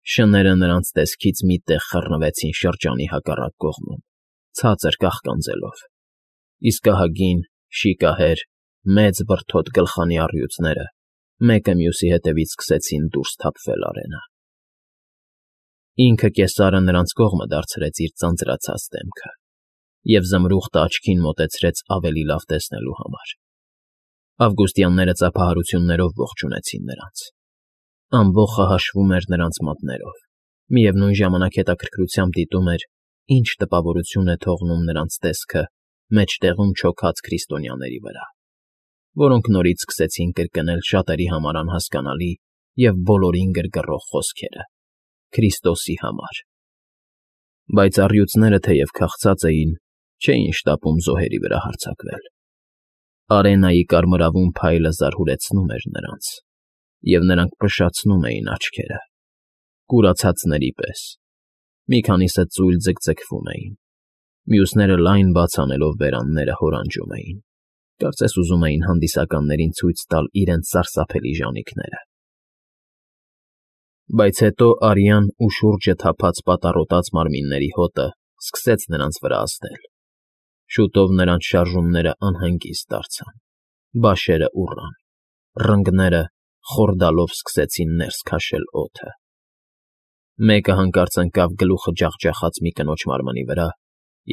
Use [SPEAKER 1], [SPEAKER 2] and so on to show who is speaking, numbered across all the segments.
[SPEAKER 1] Շները նրանց տեսքից մի տեղ խռնվեցին շրջանի հակառակ կողմում, ցածր կաղկանձելով, իսկ ահագին, շիկահեր, մեծ բրդոտ գլխանի առյուծները մեկը մյուսի հետևից սկսեցին դուրս թափվել արենա։ Ինքը կեսարը նրանց կողմը դարձրեց իր ձանձրացած դեմքը և զմրուխտը աչքին մոտեցրեց ավելի լավ տեսնելու համար։ Ավգուստյանները ծափահարություններով ողջունեցին նրանց։ Ամբոխը հաշվում էր նրանց մատներով, միևնույն ժամանակ հետաքրքրությամբ դիտում էր, ինչ տպավորություն է թողնում նրանց տեսքը մեջտեղում չոքած քրիստոնյաների վրա, որոնք նորից սկսեցին կրկնել շատերի համար անհասկանալի և բոլորին գրգռող խոսքերը. Քրիստոսի համար։ Բայց առյուծները, թեև քաղցած էին, չէին շտապում զոհերի վրա հարձակվել։ Արենայի կարմրավուն փայլը զարհուրեցնում էր նրանց, և նրանք փշացնում էին աչքերը, կուրացածների պես։ Մի քանիսը ծույլ ձգձգվում էին, մյուսները լայն բաց անելով բերանները հորանջում էին, կարծես ուզում էին հանդիսականներին ցույց տալ իրենց սարսափելի ժանիքները։ Բայց հետո արյան ու շուրջը թափած պատառոտած մարմինների հոտը սկսեց նրանց վրա ազդել։ Շուտով նրանց շարժումները անհանգիստ դարձան, բաշերը ուռան, ռնգները խորդալով սկսեցին ներս քաշել օդը։ Մեկը հանկարծ ընկավ գլուխը ջախջախած մի կնոջ մարմնի վրա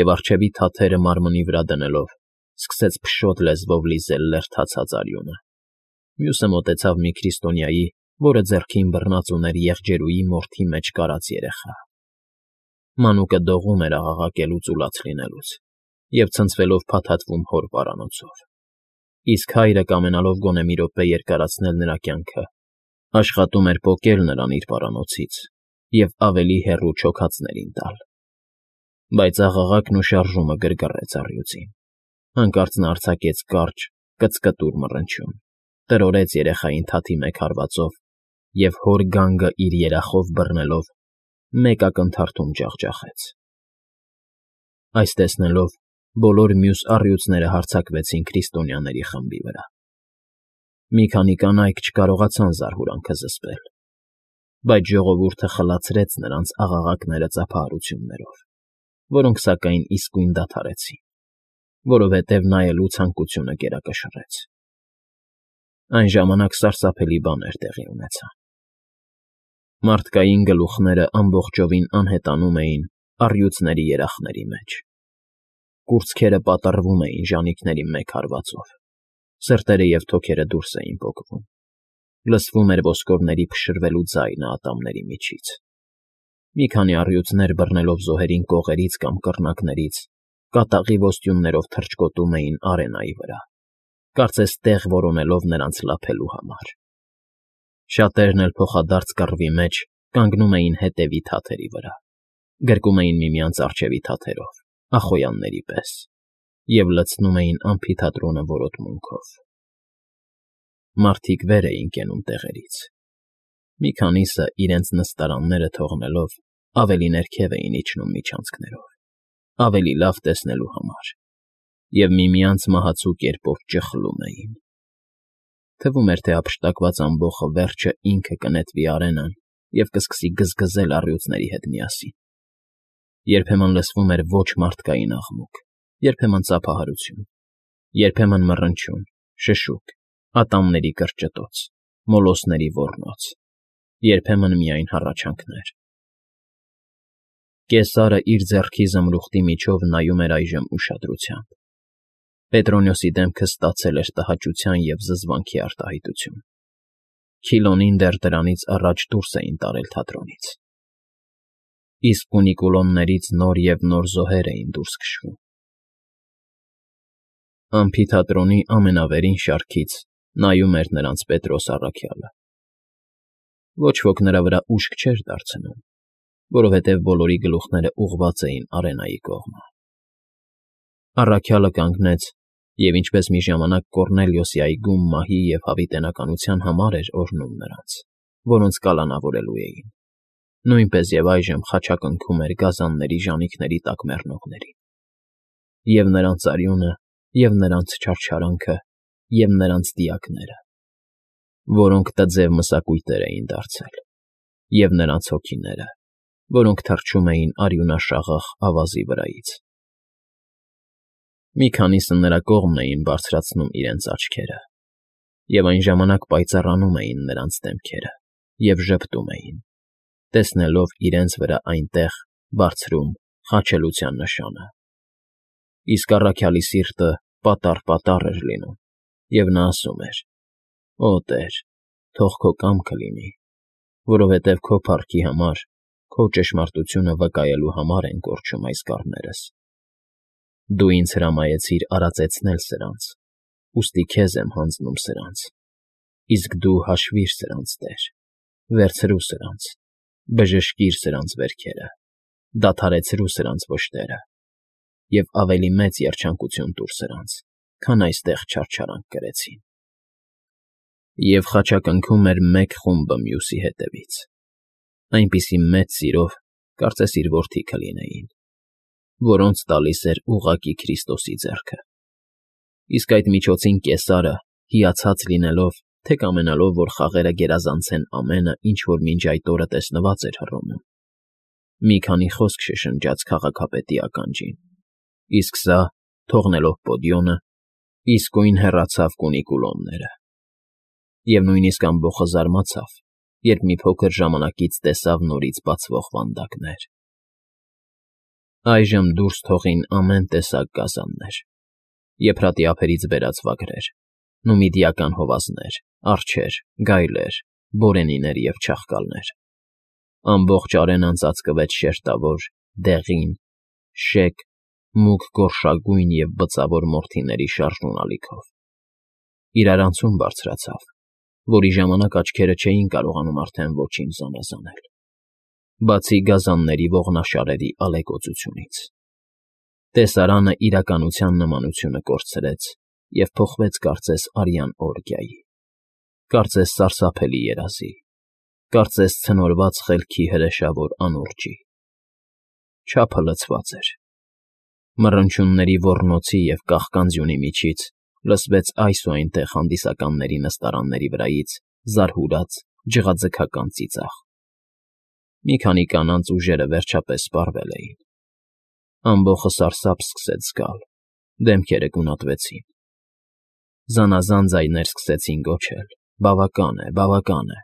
[SPEAKER 1] և առջևի թաթերը մարմնի վրա դնելով սկսեց փշոտ լեզվով լիզել լերդացած արյունը։ Մյուսը մոտեցավ մի քրիստոնյայի, որը ձեռքին բռնած ուներ եղջերուի մորթի մեջ կարած երեխա։ Մանուկը դողում էր աղաղակելուց ու լաց լինելուց և ցնցվելով փաթաթվում հոր պարանոցով, իսկ հայրը, կամենալով գոնե մի րոպե երկարացնել նրա կյանքը, աշխատում էր պոկել նրան իր պարանոցից և ավելի հեռու չոքածներին տալ։ Բայց աղաղակն ու շարժումը գրգռեց առյուծին։ Հանկարծ նա արձակեց կարճ, կծկտուր մռնչյուն, տրորեց երեխային թաթի մեկ հարվածով և հոր գանգը իր երախով բռնելով մեկ ակնթարթում ջախջախեց։ Այս տեսնելով, բոլոր մյուս առյուծները հարձակվեցին քրիստոնյաների խմբի վրա։ Մի քանի կանայք չկարողացան զարհուրանքը զսպել, բայց ժողովուրդը խլացրեց նրանց աղաղակները ծափահարություններով, որոնք, սակայն, իսկույն դադարեցին, որովհետև նայելու ցանկությունը գերակշռեց։ Այն ժամանակ սարսափելի բաներ տեղի ունեցան։ Մարդկային գլուխները ամբողջովին անհետանում էին առյուծների երախների մեջ։ Կուրծքերը պատռվում էին ժանիքների մեկ հարվածով, սրտերը և թոքերը դուրս էին պոկվում, լսվում էր ոսկորների փշրվելու ձայնը ատամների միջից։ Մի քանի առյուծներ բռնելով զոհերին կողերից կամ կռնակներից, կատաղի ոստյուններով թռչկոտում էին արենայի վրա, կարծես տեղ որոնելով նրանց լափելու համար։ Շատերն էլ փոխադարձ կռվի մեջ կանգնում էին հետևի թաթերի վրա, գրկում էին միմյանց առջևի թաթերով, ախոյանների պես, և լցնում էին ամֆիթատրոնը որոտմունքով։ Մարդիկ վեր էին կենում տեղերից։ Մի քանիսը, իրենց նստարանները թողնելով, ավելի ներքև էին իջնում միջանցքներով, ավելի լավ տեսնելու համար, և միմյանց մահացու կերպով ճխլում էին։ Թվում էր, թե հափշտակված ամբոխը վերջը ինքը կնետվի արենան և կսկսի գզգզել առյուծների հետ միասին։ Երբեմն լսվում էր ոչ մարդկային աղմուկ, երբեմն ծափահարություն, երբեմն մռնչյուն, շշուկ, ատամների կրճտոց, մոլոսների ոռնոց, երբեմն միայն հառաչանքներ։ Կեսարը իր ձեռքի զմրուխտի միջով նայում էր այժմ ուշադրությամբ։ Պետրոնյոսի դեմքը ստացել էր տհաճության և զզվանքի արտահայտություն։ Քիլոնին դեռ դրանից առաջ դուրս էին տարել թատրոնից, իսկ կունիկուլոններից նոր և նոր զոհեր էին դուրս քշվում։ Ամֆիթատրոնի ամենավերին շարքից նայում էր նրանց Պետրոս առաքյալը։ Ոչ ոք նրա վրա ուշք չէր դարձնում, որովհետև բոլորի գլուխները ուղղված էին արենայի կողմը։ Առաքյալը կանգնեց և, ինչպես մի ժամանակ Կոռնելիոսի այգում մահի և հավիտենականության համար էր օրհնում նրանց, որոնց կալանավորելու էին, նույնպես և այժմ խաչակնքում էր գազանների ժանիքների տակ մեռնողներին։ Եվ նրանց արյունը, և նրանց չարչարանքը, և նրանց դիակները, որոնք տձև մսակույտեր էին դարձել, և նրանց հոգիները, որոնք թռչում էին արյունաշաղախ ավազի վրայից։ Մի քանիսը նրա կողմն էին բարձրացնում իրենց աչքերը, և այն ժամանակ պայծառանում էին նրանց դեմքերը և ժպտում էին, տեսնելով իրենց վրա այնտեղ, բարձրում, խաչելության նշանը։ Իսկ առաքյալի սիրտը պատառ էր լինում, և նա ասում էր. «Օ Տեր, թող քո կամքը լինի, որովհետև քո փառքի համար, քո ճշմարտությունը վկայելու համար են կորչում այս կառներս։ Դու ինձ հրամայեցիր արածեցնել սրանց, ուստի քեզ եմ հանձնում սրանց, իսկ դու հաշվիր սրանց, Տեր, վերցրու սրանց, բժշկիր սրանց վերքերը, դադարեցրու սրանց վշտերը և ավելի մեծ երջանկություն տուր սրանց, քան այստեղ չարչարանք կրեցին»։ Եվ խաչակնքում էր մեկ խումբը մյուսի հետևից, այնպիսի մեծ սիրով, կարծես իր որդիքը լինեին, որոնց տալիս էր ուղղակի Քրիստոսի ձեռքը։ Իսկ այդ միջոցին Կեսարը, հիացած լինելով, թե կամենալով, որ խաղերը գերազանցեն ամենը, ինչ որ մինչ այդ օրը տեսնված էր Հռոմում, մի քանի խոսք շշնջաց քաղաքապետի ականջին, իսկ սա, թողնելով պոդիոմը, իսկույն հեռացավ Կունիկուլոնները։ Եվ նույնիսկ ամբոխը զարմացավ, երբ մի փոքր ժամանակից տեսավ նորից բացվող վանդակներ։ Այժմ դուրս թողին ամեն տեսակ գազաններ, եփրատի ափերից բերած վագրեր, նումիդիական հովազներ, արջեր, գայլեր, բորենիներ և չաղկալներ։ Ամբողջ արենան ծածկվեց շերտավոր, դեղին, շեկ, մուգ գորշագույն և բծավոր մորթիների շարժուն ալիքով։ Իրարանցում բարձրացավ, որի ժամանակ աչքերը չէին կարողանում արդեն ոչինչ զանազանել, բացի գազանների ողնաշարերի ալեկոծությունից։ Տեսարանը իրականության նմանությունը կորցրեց և փոխվեց կարծես արյան օրգիայի, կարծես սարսափելի երազի, կարծես ցնորված խելքի հրեշավոր անուրջի։ Չափը լցված էր։ Մռնչյունների ոռնոցի և կաղկանձյունի միջից լսվեց այս ու այնտեղ հանդիսականների նստարանների վրայից զարհուրած, ջղաձգական ծիծաղ։ Մի քանի կանանց ուժերը վերջապես սպառվել էին։ Ամբոխը սարսափ սկսեց զգալ, դեմքերը գունատվեցին։ Զանազան ձայներ սկսեցին գոչել. «Բավական է, բավական է»։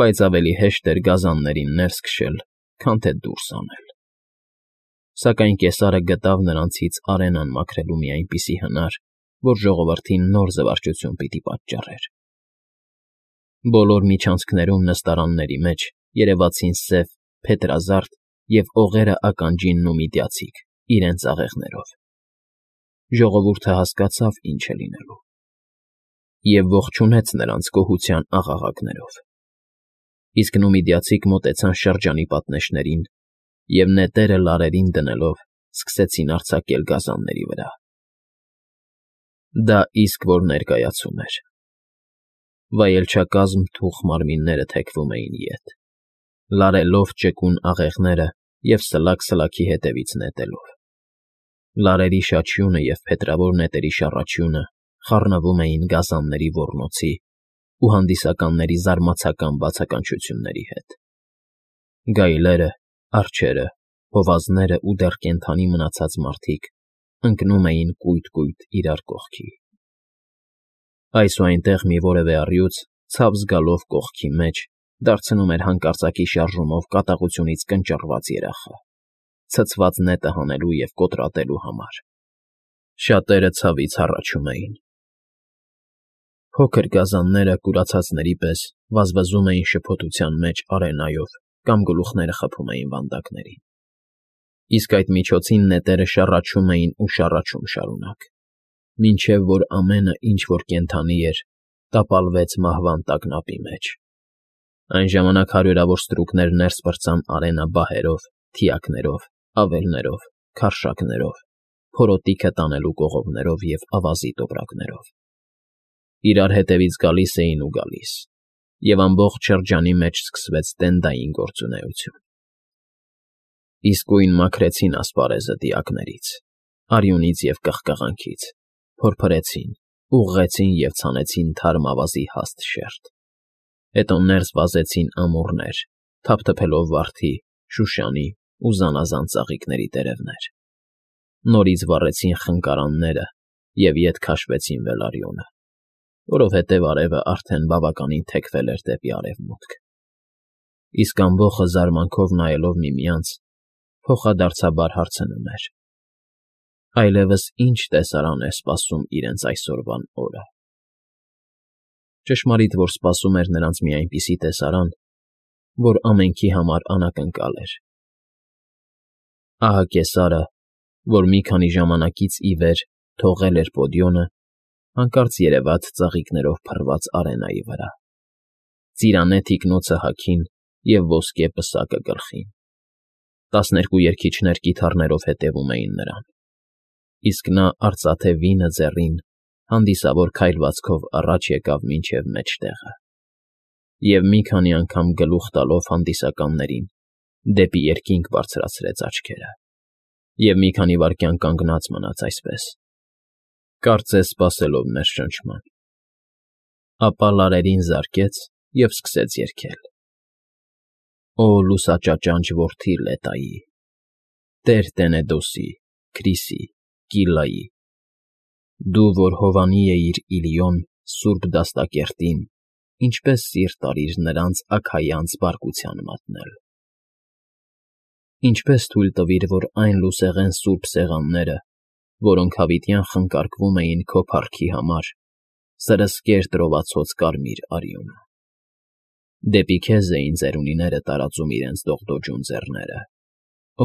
[SPEAKER 1] Բայց ավելի հեշտ էր գազաններին ներս քշել, քան թե դուրս անել։ Սակայն Կեսարը գտավ նրանցից արենան մաքրելու մի այնպիսի հնար, որ ժողովրդին նոր զվարճություն պիտի պատճառեր։ Բոլոր միջանցքներում նստարանների մեջ երևացին սև, փետրազարդ և օղերը ականջին նումիդիացիք իրենց աղեղներով։ Ժողովուրդը հասկացավ ինչ է լինելու և ողջունեց նրանց գոհության աղաղակներով։ Իսկ նումիդիացիք մոտեցան շրջանի պատնեշներին և նետերը լարերին դնելով սկսեցին արձակել գազանների վրա։ Դա իսկ որ ներկայացում էր։ Վայելչակազմ թուխ մարմինները թեքվում էին ետ, լարելով ճկուն աղեղները և սլաք֊սլաքի հետևից նետելով։ Լարերի շաչյունը և փետրավոր նետերի շառաչյունը խառնվում էին գազանների ոռնոցի ու հանդիսականների զարմացական բացականչությունների հետ։ Գայլերը, արջերը, հովազները ու դեռ կենդանի մնացած մարդիկ ընկնում էին կույտ֊կույտ իրար կողքի։ Այս ու այնտեղ մի որևէ առյուծ, ցավ զգալով կողքի մեջ, դարձնում էր հանկարծակի շարժումով կատաղությունից կնճռված երախա, ցցված նետը հանելու և կոտրատելու համար։ Շատերը ցավից հառաչում էին։ Փոքր գազանները կուրացածների պես վազվզում էին շփոթության մեջ արենայով կամ գլուխները խփում էին վանդակներին։ Իսկ այդ միջոցին նետերը շառաչում էին ու շառաչում շարունակ, մինչև որ ամենը, ինչ որ կենդանի էր, տապալվեց մահվան տագնապի մեջ։ Այն ժամանակ հարյուրավոր ստրուկներ ներս պրծան արենա բահերով, թիակներով, ավելներով, քարշակներով, փորոտիքը տանելու կողովներով և ավազի տոպրակներով։ Իրար հետևից գալիս էին ու գալիս, և ամբողջ շրջանի մեջ սկսվեց տենդային գործունեություն։ Իսկույն մաքրեցին ասպարեզը դիակներից, արյունից և կղկղանքից, փորփրեցին, ուղղեցին և ցանեցին թարմ ավազի հաստ շերտ։ Հետո ներս վազեցին ամուռներ, թափթփելով վարդի, շուշանի ու զանազան ծաղիկների տերևներ. նորից վառեցին խնկարանները և ետ քաշվեցին Վելարյոնը, որովհետև արևը արդեն բավականին թեքվել էր դեպի արևմուտք։ Իսկ ամբոխը զարմանքով նայելով միմյանց, փոխադարձաբար հարցնում էր. այլևս ի՞նչ տեսարան է սպասում իրենց այսօրվան օրը։ Ճշմարիտ որ սպասում էր նրանց մի այնպիսի տեսարան, որ ամենքի համար անակնկալ էր։ Ահա կեսարը, որ մի քանի ժամանակից ի վեր թողել էր պոդիոմը, հանկարծ երևաց ծաղիկներով փռված արենայի վրա, ծիրանե թիկնոցը հագին և ոսկե պսակը գլխին։ 12 երգիչներ կիթառներով հետևում էին նրան, իսկ նա արծաթե վինը ձեռին հանդիսավոր քայլվածքով առաջ եկավ մինչև մեջտեղը և մի քանի անգամ գլուխ տալով հանդիսականներին դեպի երկինք բարձրացրեց աչքերը և մի քանի վայրկյան կանգնած մնաց այսպես, կարծես սպասելով ներշնչման, ապա լարերին զարկեց և սկսեց երգել. «Օ լուսաճաճանճ որդի Լետայի, տեր Տենեդոսի, Քրիսի, Կիլլայի, դու, որ հովանի էիր Իլիոն սուրբ դաստակերտին, ինչպես սիրտ արիր նրանց Աքայանց բարկության մատնել, ինչպես թույլ տվիր, որ այն լուսեղեն սուրբ սեղանները, որոնք հավիտյան խնկարկվում էին քո փառքի համար, սրսկեր տրովացած կարմիր արյունը։ Դեպի քեզ էին ծերունիները տարածում իրենց դողդոջուն ձեռները,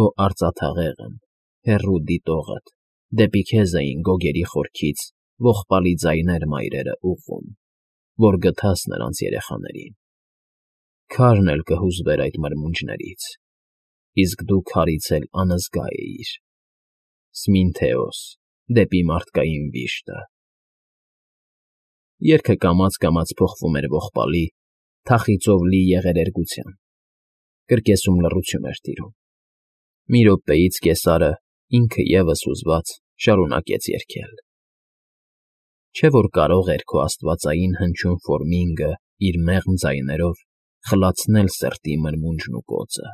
[SPEAKER 1] օ արծաթաղեղն, հեռու դիտողդ, դեպի քեզ էին գոգերի խորքից ողբալի ձայներ մայրերը ուղղում, որ գթաս նրանց երեխաներին։ Քարն էլ կհուզվեր այդ մրմունջներից, իսկ դու քարից էլ անզգա էիր, Սմինթեոս, դեպի մարդկային վիշտը»։ Երգը կամաց֊կամաց փոխվում էր ողբալի, թախիծով լի եղերերգության, կրկեսում լռություն էր տիրում։ Մի րոպեից կեսարը, ինքը ևս հուզված, շարունակեց երգել. Չէ՞ որ կարող էր քո աստվածային հնչյուն ֆորմինգը իր մեղմ ձայներով խլացնել սրտի մրմունջն ու կոծը։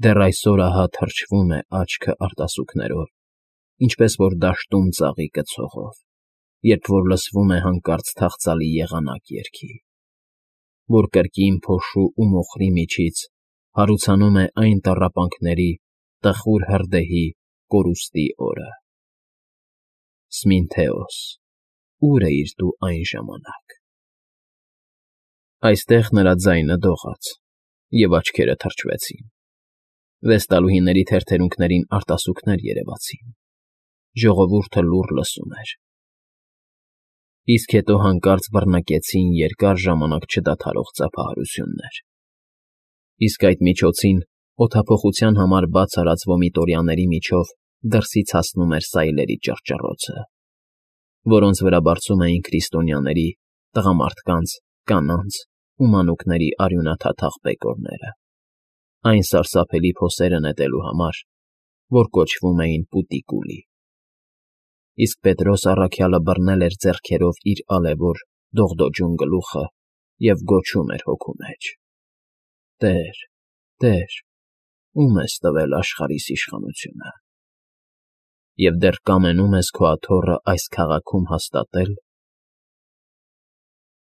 [SPEAKER 1] Դեռ այսօր ահա թրջվում է աչքը արտասուքներով, ինչպես որ դաշտում ծաղիկը ցողով, երբ որ լսվում է հանկարծ թախծալի եղանակ երգի, որ կրկին փոշու ու մոխրի միջից հարուցանում է այն տառապանքների տխուր հրդեհի կորուստի օրը։ Սմինթեոս, ո՞ւր էիր դու այն ժամանակ։ Այստեղ նրա ձայնը դողաց, և աչքերը թրջվեցին, վեստալուհիների թերթերունքներին արտասուքներ երևացին, ժողովուրդը լուռ լսում էր։ Իսկ հետո հանկարծ բռնկեցին երկար ժամանակ չդադարող ծափահարություններ։ Իսկ այդ միջոցին օդափոխության համար բաց արած վոմիտորյաների միջով դրսից հասնում էր սայլերի ճռճռոցը, որոնց վրա բարձում էին քրիստոնյաների, տղամարդկանց, կանանց ու մանուկների արյունաթաթախ բեկորները, այն սարսափելի փոսերը նետելու համար, որ կոչվում էին Պուտիկուլի։ Իսկ Պետրոս առաքյալը բռնել էր ձեռքերով իր ալևոր, դողդոջուն գլուխը և գոչում էր հոգու մեջ. «Տե՛ր, Տե՛ր, ո՞ւմ ես տվել աշխարհիս իշխանությունը։ Եվ դեռ կամենում ես քո աթոռը այս քաղաքում հաստատել